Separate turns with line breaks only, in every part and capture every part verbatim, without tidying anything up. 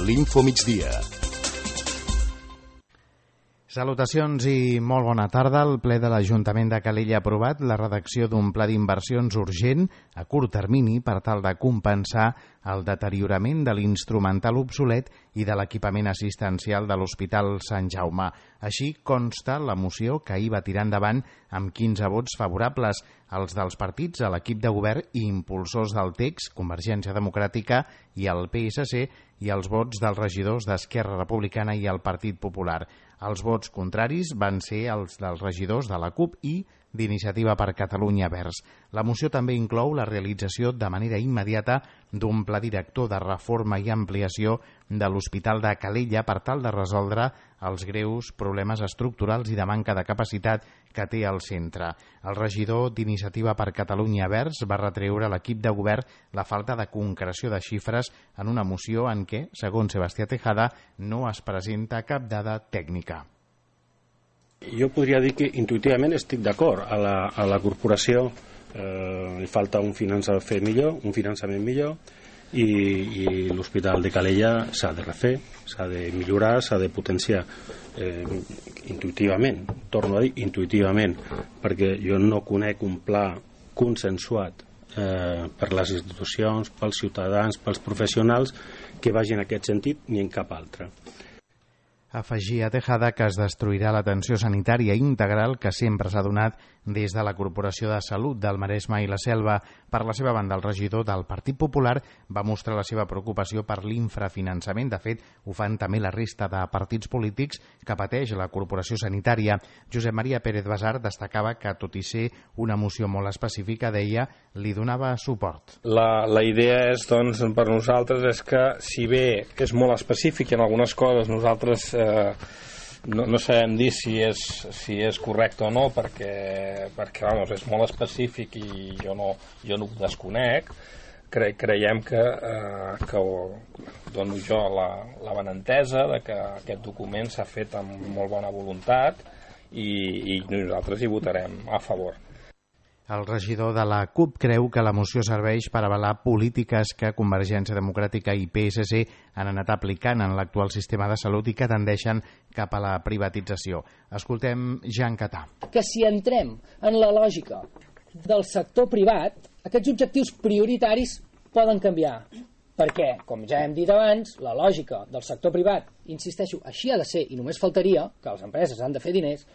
l'Infomigdia.
Salutacions i molt bona tarda. El ple de l'Ajuntament de Calella ha aprovat la redacció d'un pla d'inversions urgent a curt termini per tal de compensar el deteriorament de l'instrumental obsolet i de l'equipament assistencial de l'Hospital Sant Jaume. Així consta la moció que ahir va tirar endavant amb quinze vots favorables, els dels partits a l'equip de govern i impulsors del text, Convergència Democràtica i el P S C, i els vots dels regidors d'Esquerra Republicana i el Partit Popular. Els vots contraris van ser els dels regidors de la CUP i d'Iniciativa per Catalunya Verds. La moció també inclou la realització de manera immediata d'un pla director de reforma i ampliació de l'Hospital de Calella per tal de resoldre els greus problemes estructurals i de manca de capacitat que té el centre. El regidor d'Iniciativa per Catalunya Verds va retreure a l'equip de govern la falta de concreció de xifres en una moció en què, segons Sebastià Tejada, no es presenta cap dada tècnica.
Jo podria dir que intuïtivament estic d'acord. A la, a la corporació eh, li falta un finançament millor, un finançament millor i, i l'Hospital de Calella s'ha de refer, s'ha de millorar, s'ha de potenciar eh, intuïtivament, torno a dir intuïtivament, perquè jo no conec un pla consensuat eh, per les institucions, pels ciutadans, pels professionals que vagi en aquest sentit ni en cap altre.
Afegia Tejada que es destruirà l'atenció sanitària integral que sempre s'ha donat des de la Corporació de Salut del Maresme i la Selva. Per la seva banda, el regidor del Partit Popular va mostrar la seva preocupació per l'infrafinançament. De fet, ho fan també la resta de partits polítics que pateix la Corporació Sanitària. Josep Maria Pérez Basar destacava que, tot i ser una moció molt específica, deia, li donava suport.
La, la idea és, doncs, per nosaltres és que, si bé és molt específic en algunes coses, nosaltres eh, no, no sabem dir si és, si és correcte o no, perquè, perquè vamos, és molt específic i jo no, jo no ho desconec. Cre, creiem que, eh, que dono jo la, la benentesa de que aquest document s'ha fet amb molt bona voluntat i, i nosaltres hi votarem a favor.
El regidor de la CUP creu que la moció serveix per avalar polítiques que Convergència Democràtica i P S C han anat aplicant en l'actual sistema de salut i que tendeixen cap a la privatització. Escoltem Jean Catà.
Que si entrem en la lògica del sector privat, aquests objectius prioritaris poden canviar. Perquè, com ja hem dit abans, la lògica del sector privat, insisteixo, així ha de ser i només faltaria que les empreses han de fer diners.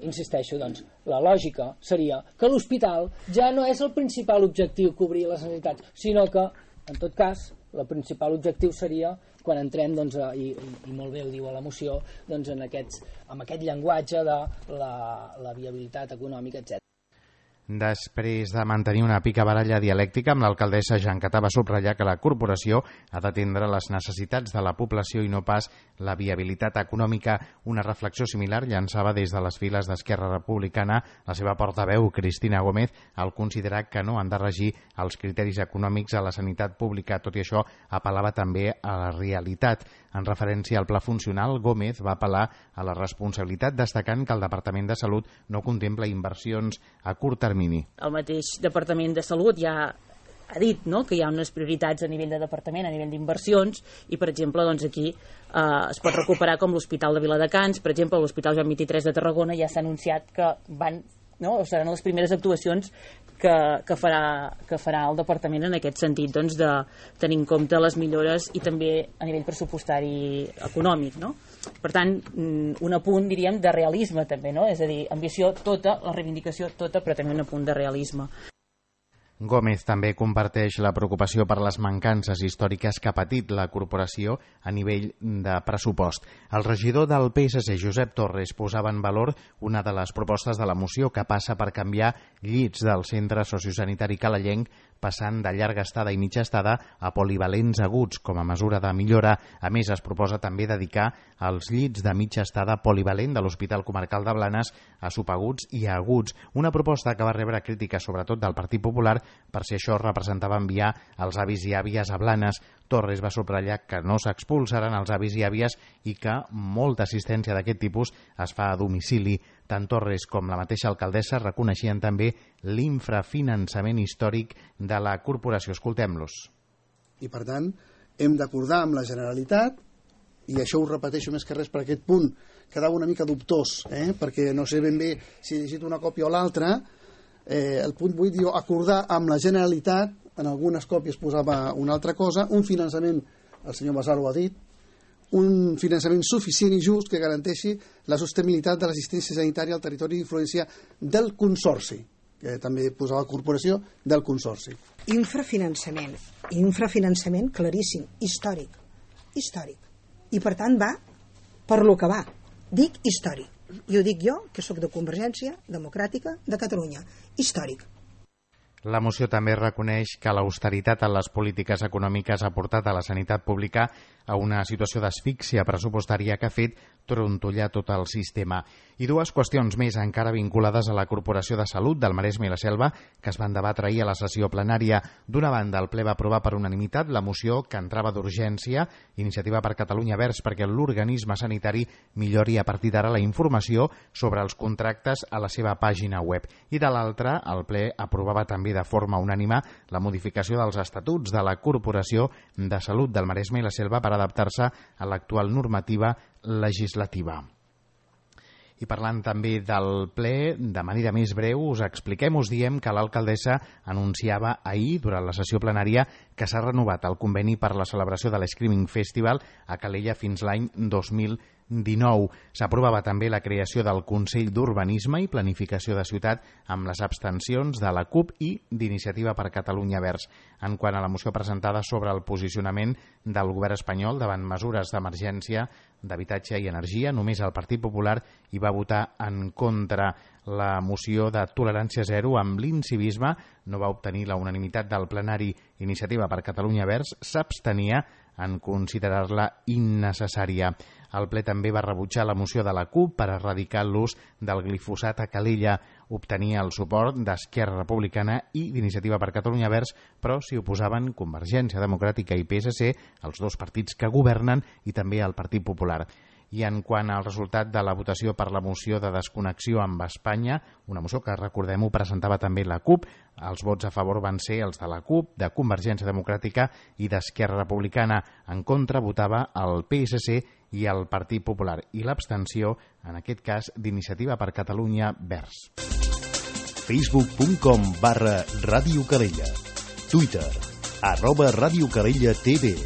Insisteixo, doncs, la lògica seria que l'hospital ja no és el principal objectiu cobrir les necessitats, sinó que, en tot cas, el principal objectiu seria, quan entrem, doncs, i, i molt bé ho diu a la moció, doncs, en aquests, amb aquest llenguatge de la, la viabilitat econòmica, etcètera.
Després de mantenir una picabaralla dialèctica amb l'alcaldessa Jean Catà, va subratllar que la corporació ha d'atendre les necessitats de la població i no pas la viabilitat econòmica. Una reflexió similar llançava des de les files d'Esquerra Republicana la seva portaveu, Cristina Gómez, al considerar que no han de regir els criteris econòmics a la sanitat pública. Tot i això, apel·lava també a la realitat. En referència al pla funcional, Gómez va apel·lar a la responsabilitat, destacant que el Departament de Salut no contempla inversions a curt termini.
El mateix Departament de Salut ja ha dit, no?, que hi ha unes prioritats a nivell de departament, a nivell d'inversions, i per exemple doncs aquí eh, es pot recuperar com l'Hospital de Viladecans, per exemple l'Hospital Joan vint-i-tres de Tarragona ja s'ha anunciat que van, no?, o seran les primeres actuacions que, que, farà, que farà el departament en aquest sentit, doncs, de tenir en compte les millores i també a nivell pressupostari econòmic, no? Per tant, un apunt, diríem, de realisme també, no? És a dir, ambició tota, la reivindicació tota, però també un apunt de realisme.
Gómez també comparteix la preocupació per les mancances històriques que ha patit la corporació a nivell de pressupost. El regidor del P S C, Josep Torres, posava en valor una de les propostes de la moció que passa per canviar llits del centre sociosanitari calellenc passant de llarga estada i mitja estada a polivalents aguts com a mesura de millora. A més, es proposa també dedicar els llits de mitja estada polivalent de l'Hospital Comarcal de Blanes a subaguts i a aguts. Una proposta que va rebre crítiques sobretot del Partit Popular per si això representava enviar els avis i àvies a Blanes. Torres va subratllar que no s'expulsaran els avis i àvies i que molta assistència d'aquest tipus es fa a domicili. Tant Torres com la mateixa alcaldessa reconeixien també l'infrafinançament històric de la corporació. Escoltem-los.
I per tant hem d'acordar amb la Generalitat
i això ho repeteixo més que res per aquest punt, quedava una mica dubtós, eh? perquè no sé ben bé si he llegit una còpia o l'altra. Eh, el punt vuit diu acordar amb la Generalitat, en algunes còpies posava una altra cosa, un finançament, el senyor Basar ho ha dit, un finançament suficient i just que garanteixi la sostenibilitat de l'assistència sanitària al territori d'influència del Consorci, que també posava corporació del Consorci.
Infrafinançament, infrafinançament claríssim, històric, històric. I per tant va per lo que va. Dic històric. I ho dic jo, que sóc de Convergència Democràtica de Catalunya. Històric.
La moció també reconeix que l'austeritat en les polítiques econòmiques ha portat a la sanitat pública a una situació d'asfíxia pressupostària que ha fet trontollar tot el sistema. I dues qüestions més encara vinculades a la Corporació de Salut del Maresme i la Selva que es van debatre ahir a la sessió plenària. D'una banda, el ple va aprovar per unanimitat la moció que entrava d'urgència, Iniciativa per Catalunya Verds, perquè l'organisme sanitari millori a partir d'ara la informació sobre els contractes a la seva pàgina web. I de l'altra, el ple aprovava també de forma unànime la modificació dels estatuts de la Corporació de Salut del Maresme i la Selva per adaptar-se a l'actual normativa legislativa. I parlant també del ple, de manera més breu, us expliquem, us diem que l'alcaldessa anunciava ahir, durant la sessió plenària, que s'ha renovat el conveni per la celebració de l'Screaming Festival a Calella fins l'any dos mil dinou. S'aprovava també la creació del Consell d'Urbanisme i Planificació de Ciutat amb les abstencions de la CUP i d'Iniciativa per Catalunya Verds. En quant a la moció presentada sobre el posicionament del govern espanyol davant mesures d'emergència d'habitatge i energia, només el Partit Popular hi va votar en contra. La moció de tolerància zero amb l'incivisme no va obtenir la unanimitat del plenari. Iniciativa per Catalunya Verds s'abstenia en considerar-la innecessària. El ple també va rebutjar la moció de la CUP per erradicar l'ús del glifosat a Calella. Obtenia el suport d'Esquerra Republicana i d'Iniciativa per Catalunya Verds, però s'hi oposaven Convergència Democràtica i P S C, els dos partits que governen, i també el Partit Popular. I en quant al resultat de la votació per la moció de desconnexió amb Espanya, una moció que, recordem-ho, presentava també la CUP, els vots a favor van ser els de la CUP, de Convergència Democràtica i d'Esquerra Republicana. En contra votava el P S C i el Partit Popular, i l'abstenció, en aquest cas, d'Iniciativa per Catalunya Verds.
facebook punt com barra Ràdio Calella. Twitter, arroba Ràdio Calella T V.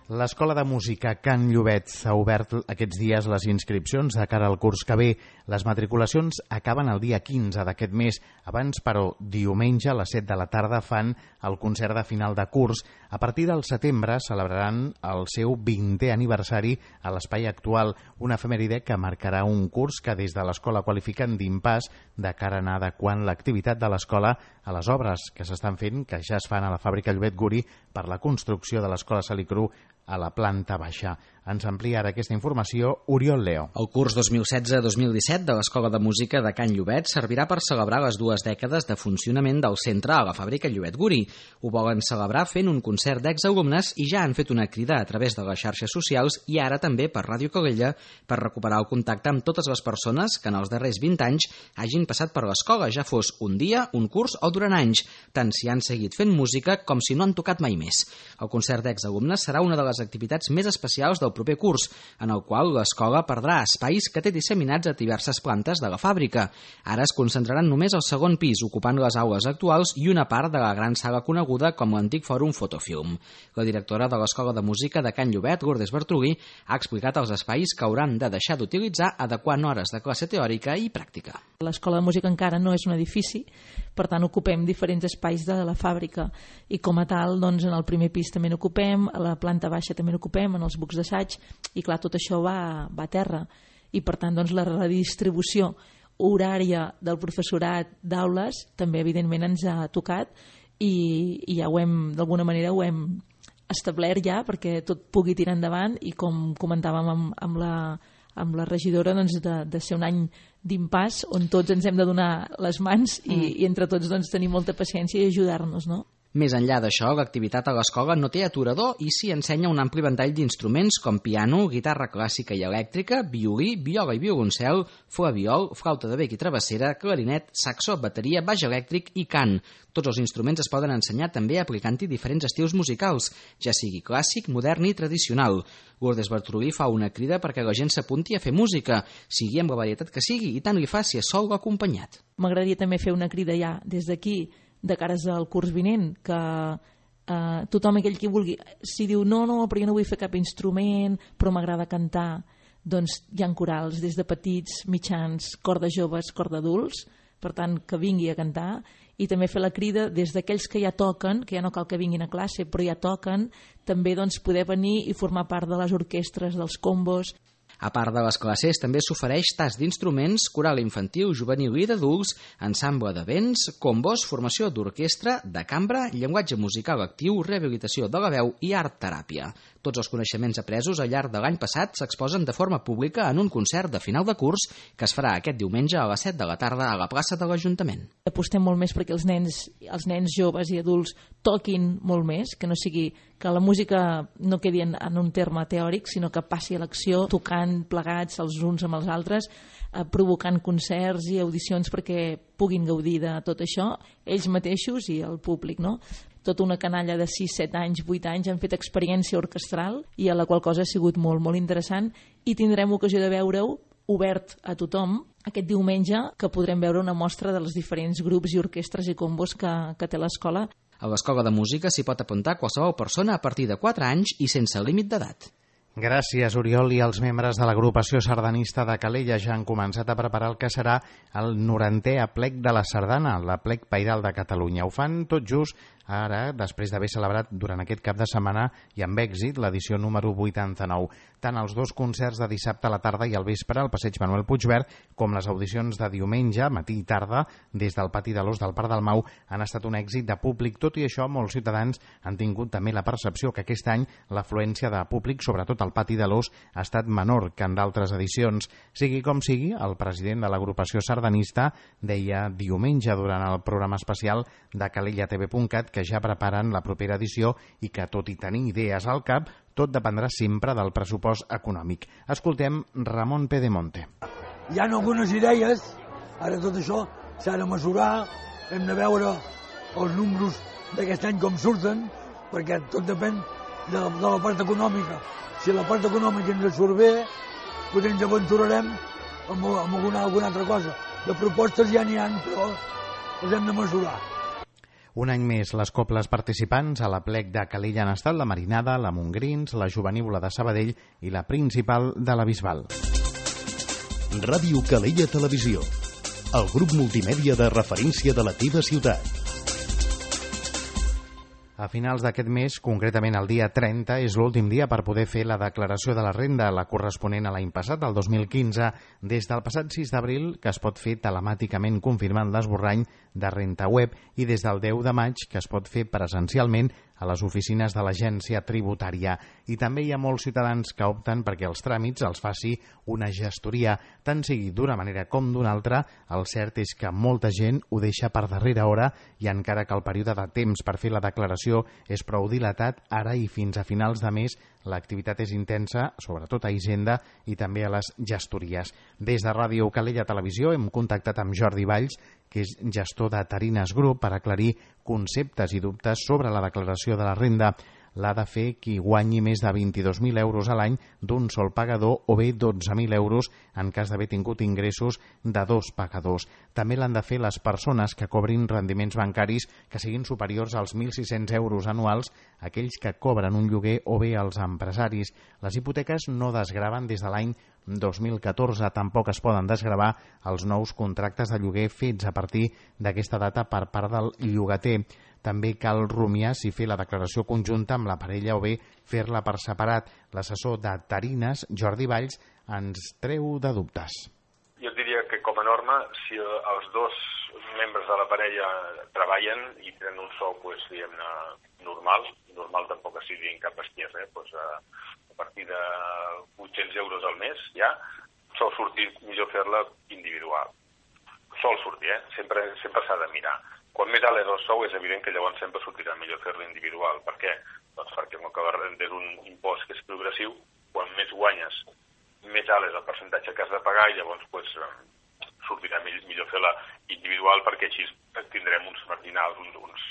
L'Escola de Música Can Llobet ha obert aquests dies les inscripcions de cara al curs que ve. Les matriculacions acaben el dia quinze d'aquest mes. Abans, però, diumenge a les set de la tarda fan el concert de final de curs. A partir del setembre celebraran el seu vintè aniversari a l'espai actual, una efemèride que marcarà un curs que des de l'escola qualifiquen d'impàs de cara a anar adequant l'activitat de l'escola a les obres que s'estan fent, que ja es fan a la fàbrica Llobet Guri per la construcció de l'escola Salicru a la planta baixa. Ens amplia ara aquesta informació Oriol Leo.
El curs dos mil setze dos mil disset de l'Escola de Música de Can Llobet servirà per celebrar les dues dècades de funcionament del centre a la fàbrica Llobet Guri. Ho volen celebrar fent un concert d'exalumnes i ja han fet una crida a través de les xarxes socials i ara també per Ràdio Calella per recuperar el contacte amb totes les persones que en els darrers vint anys hagin passat per l'escola, ja fos un dia, un curs o durant anys, tant si han seguit fent música com si no han tocat mai més. El concert d'exalumnes serà una de les activitats més especials del proper curs, en el qual l'escola perdrà espais que té disseminats a diverses plantes de la fàbrica. Ara es concentraran només al segon pis, ocupant les aules actuals i una part de la gran sala coneguda com l'antic fòrum Fotofilm. La directora de l'Escola de Música de Can Llobet, Lourdes Bertrugui, ha explicat els espais que hauran de deixar d'utilitzar adequant hores de classe teòrica i pràctica.
L'Escola de Música encara no és un edifici, per tant ocupem diferents espais de la fàbrica i com a tal, doncs, en el primer pis també n'ocupem, a la planta baixa també n'ocupem, en els bucs d'assaig, i clar, tot això va, va a terra i per tant doncs, la redistribució horària del professorat d'aules també evidentment ens ha tocat i, i ja ho hem, d'alguna manera ho hem establert ja perquè tot pugui tirar endavant i com comentàvem amb, amb la amb la regidora doncs, de, de ser un any d'impàs on tots ens hem de donar les mans i, mm. i entre tots doncs, tenir molta paciència i ajudar-nos, no?
Més enllà d'això, l'activitat a l'escola no té aturador i s'hi ensenya un ampli ventall d'instruments com piano, guitarra clàssica i elèctrica, violí, viola i violoncel, flabiol, flauta de bec i travessera, clarinet, saxo, bateria, baix elèctric i cant. Tots els instruments es poden ensenyar també aplicant-hi diferents estils musicals, ja sigui clàssic, modern i tradicional. Lourdes Bartolí fa una crida perquè la gent s'apunti a fer música, sigui amb la varietat que sigui, i tant li fa si és sol o acompanyat.
M'agradaria també fer una crida ja des d'aquí, de cares al curs vinent, que eh, tothom aquell qui vulgui, si diu no, no, però jo no vull fer cap instrument, però m'agrada cantar, doncs hi ha corals des de petits, mitjans, cor de joves, cor d'adults, per tant que vingui a cantar, i també fer la crida des d'aquells que ja toquen, que ja no cal que vinguin a classe, però ja toquen, també doncs, poder venir i formar part de les orquestres, dels combos.
A part de les classes, també s'ofereix tast d'instruments, coral infantil, juvenil i d'adults, ensemble de vents, combos, formació d'orquestra, de cambra, llenguatge musical actiu, rehabilitació de la veu i art-teràpia. Tots els coneixements apresos al llarg de l'any passat s'exposen de forma pública en un concert de final de curs que es farà aquest diumenge a les set de la tarda a la plaça de l'Ajuntament.
Apostem molt més perquè els nens, els nens joves i adults toquin molt més, que no sigui que la música no quedi en, en un terme teòric, sinó que passi a l'acció, tocant plegats els uns amb els altres, eh, provocant concerts i audicions perquè puguin gaudir de tot això, ells mateixos i el públic, no? Tota una canalla de sis, set anys, vuit anys han fet experiència orquestral i a la qual cosa ha sigut molt, molt interessant, i tindrem ocasió de veure-ho obert a tothom aquest diumenge, que podrem veure una mostra dels diferents grups i orquestres i combos que, que té l'escola.
A l'escola de música s'hi pot apuntar qualsevol persona a partir de quatre anys i sense límit d'edat.
Gràcies, Oriol. I els membres de l'agrupació sardanista de Calella ja han començat a preparar el que serà el norantè aplec de la sardana, l'aplec pairal de Catalunya. Ho fan tot just ara, després d'haver celebrat durant aquest cap de setmana i amb èxit l'edició número vuitanta-nou. Tant els dos concerts de dissabte a la tarda i al vespre al passeig Manuel Puigverd com les audicions de diumenge, matí i tarda, des del pati de l'Os del Parc del Mau, han estat un èxit de públic. Tot i això, molts ciutadans han tingut també la percepció que aquest any l'afluència de públic, sobretot al pati de l'Os, ha estat menor que en d'altres edicions. Sigui com sigui, el president de l'agrupació sardanista deia diumenge durant el programa especial de calella t v punt cat que ja preparen la propera edició i que, tot i tenir idees al cap, tot dependrà sempre del pressupost econòmic. Escoltem Ramon Pedemonte.
Hi ha algunes idees, ara tot això s'ha de mesurar, hem de veure els números d'aquest any com surten, perquè tot depèn de la, de la part econòmica. Si la part econòmica ens surt bé, potser ens aventurarem amb, amb alguna, alguna altra cosa. De propostes ja n'hi ha, però les hem de mesurar.
Un any més, les cobles participants a l'aplec de Calella han estat la Marinada, la Montgrins, la Jovenívola de Sabadell i la Principal de la Bisbal.
Ràdio Calella Televisió, el grup multimèdia de referència de la teva ciutat.
A finals d'aquest mes, concretament el dia trenta, és l'últim dia per poder fer la declaració de la renda, la corresponent a l'any passat, el dos mil quinze, des del passat sis d'abril, que es pot fer telemàticament confirmant l'esborrany de Renta Web, i des del deu de maig, que es pot fer presencialment a les oficines de l'agència tributària. I també hi ha molts ciutadans que opten perquè els tràmits els faci una gestoria, tant sigui d'una manera com d'una altra. El cert és que molta gent ho deixa per darrera hora i encara que el període de temps per fer la declaració és prou dilatat, ara i fins a finals de mes l'activitat és intensa, sobretot a Hisenda i també a les gestories. Des de Ràdio Calella Televisió hem contactat amb Jordi Valls, que és gestor de Tarines Group, per aclarir conceptes i dubtes sobre la declaració de la renda. L'ha de fer qui guanyi més de vint-i-dos mil euros a l'any d'un sol pagador o bé dotze mil euros en cas d'haver tingut ingressos de dos pagadors. També l'han de fer les persones que cobrin rendiments bancaris que siguin superiors als mil sis-cents euros anuals, aquells que cobren un lloguer o bé els empresaris. Les hipoteques no desgraven des de l'any dos mil catorze, tampoc es poden desgravar els nous contractes de lloguer fets a partir d'aquesta data per part del llogater. També cal rumiar si fer la declaració conjunta amb la parella o bé fer-la per separat. L'assessor de Tarines, Jordi Valls, ens treu de dubtes.
Jo diria que com a norma, si els dos membres de la parella treballen i tenen un sou, pues, diguem-ne, normal, normal tampoc que sigui en cap bestiesa, eh? pues, a, a partir de vuit-cents euros al mes, ja, sol sortir millor fer-la individual. Sol sortir, eh? Sempre, sempre s'ha de mirar. Quan més alt és el sou, és evident que llavors sempre sortirà millor fer-lo individual. Per què? Doncs perquè com que és un impost que és progressiu, quan més guanyes, més alt és el percentatge que has de pagar i llavors pues, sortirà millor fer-la individual perquè així tindrem uns marginals, uns, uns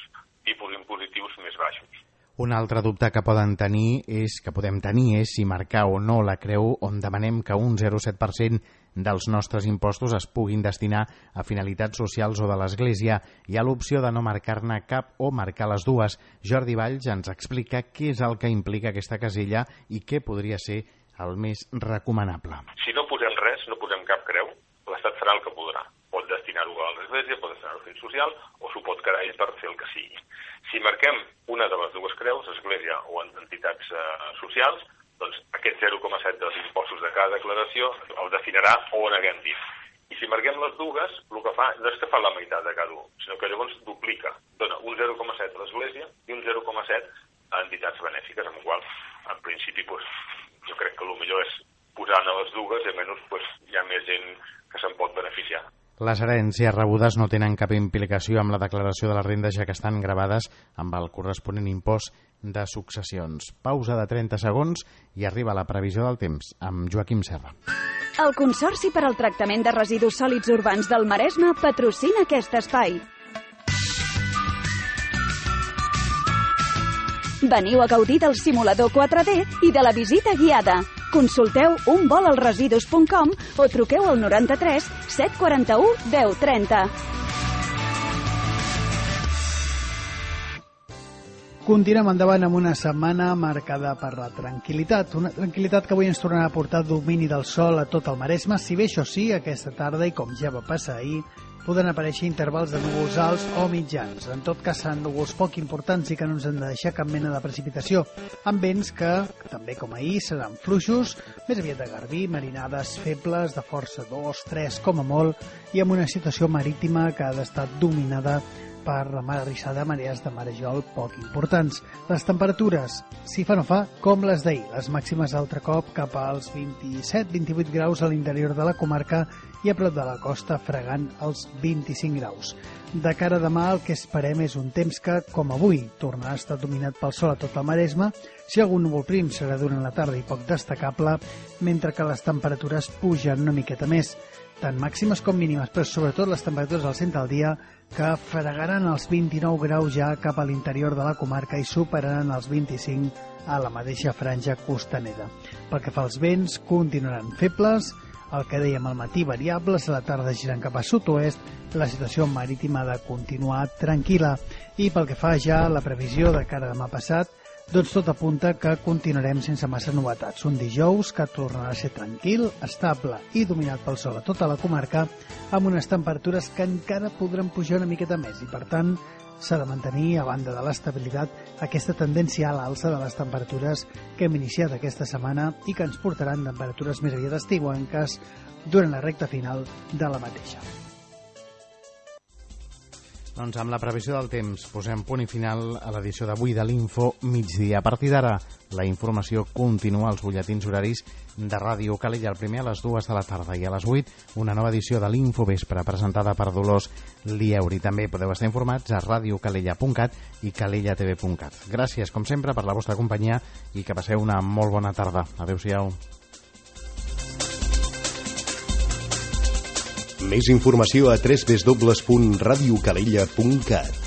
tipus impositius més baixos.
Un altre dubte que poden tenir és que podem tenir és si marcar o no la creu on demanem que un zero coma set per cent dels nostres impostos es puguin destinar a finalitats socials o de l'Església. Hi ha l'opció de no marcar-ne cap o marcar les dues. Jordi Valls ens explica què és el que implica aquesta casella i què podria ser el més recomanable.
Si no posem res, no posem cap creu, l'Estat farà el que podrà. Pot destinar-ho a l'Església, pot destinar-ho a fins social o s'ho pot quedar ell per fer el que sigui. Si marquem una de les dues creus, Església o entitats eh, socials, doncs aquest zero coma set dels impostos de cada declaració el destinarà on haguem dit. I si marquem les dues, el que fa no és que fa la meitat de cada un, sinó que llavors duplica. Dona un zero coma set a l'Església i un zero coma set a entitats benèfiques, amb la qual, en principi, pues, jo crec que el millor és posar-ne les dues i almenys pues, hi ha més gent que se'n pot beneficiar.
Les herències rebudes no tenen cap implicació amb la declaració de la renda, ja que estan gravades amb el corresponent impost de successions. Pausa de trenta segons i arriba la previsió del temps amb Joaquim Serra.
El Consorci per al Tractament de Residus Sòlids Urbans del Maresme patrocina aquest espai. Veniu a gaudir del simulador quatre D i de la visita guiada. Consulteu un vol als residus punt com o truqueu al noranta-tres set quaranta-u deu trenta.
Continuem endavant amb una setmana marcada per la tranquil·litat. Una tranquil·litat que avui ens tornarà a portar domini del sol a tot el Maresme, si bé això sí, aquesta tarda, i com ja va passar ahir, poden aparèixer intervals de núvols alts o mitjans. En tot cas, seran núvols poc importants i que no ens han de deixar cap mena de precipitació, amb vents que, també com ahir, seran fluixos, més aviat de garbí, marinades febles, de força dos, tres com a molt, i amb una situació marítima que ha d'estar dominada per la mar arrissada, marees de marejol poc importants. Les temperatures, si fa no fa, com les d'ahir. Les màximes altre cop cap als vint-i-set vint-i-vuit graus a l'interior de la comarca i a prop de la costa fregant els vint-i-cinc graus. De cara a demà el que esperem és un temps que, com avui, tornarà a estar dominat pel sol a tot el Maresme. Si algun núvol prim serà durant la tarda i poc destacable, mentre que les temperatures pugen una miqueta més, tant màximes com mínimes, però sobretot les temperatures al centre del dia que fregaran els vint-i-nou graus ja cap a l'interior de la comarca i superaran els vint-i-cinc a la mateixa franja costanera. Pel que fa als vents, continuaran febles, el que dèiem al matí variables, a la tarda girant cap a sud-oest, la situació marítima ha de continuar tranquil·la. I pel que fa ja a la previsió de cara a demà passat, doncs tot apunta que continuarem sense massa novetats. Un dijous que tornarà a ser tranquil, estable i dominat pel sol a tota la comarca, amb unes temperatures que encara podran pujar una miqueta més i, per tant, s'ha de mantenir, a banda de l'estabilitat, aquesta tendència a l'alça de les temperatures que hem iniciat aquesta setmana i que ens portaran temperatures més aviat estiuenques durant la recta final de la mateixa.
Doncs amb la previsió del temps posem punt i final a l'edició d'avui de l'Info Migdia. A partir d'ara, la informació continua als butlletins horaris de Ràdio Calella, el primer a les dues de la tarda i a les vuit una nova edició de l'Info Vespre presentada per Dolors Lieuri. També podeu estar informats a radiocalella punt cat i calellatv punt cat. Gràcies, com sempre, per la vostra companyia i que passeu una molt bona tarda. Adéu-siau.
Més informació a w w w punt radiocalella punt cat.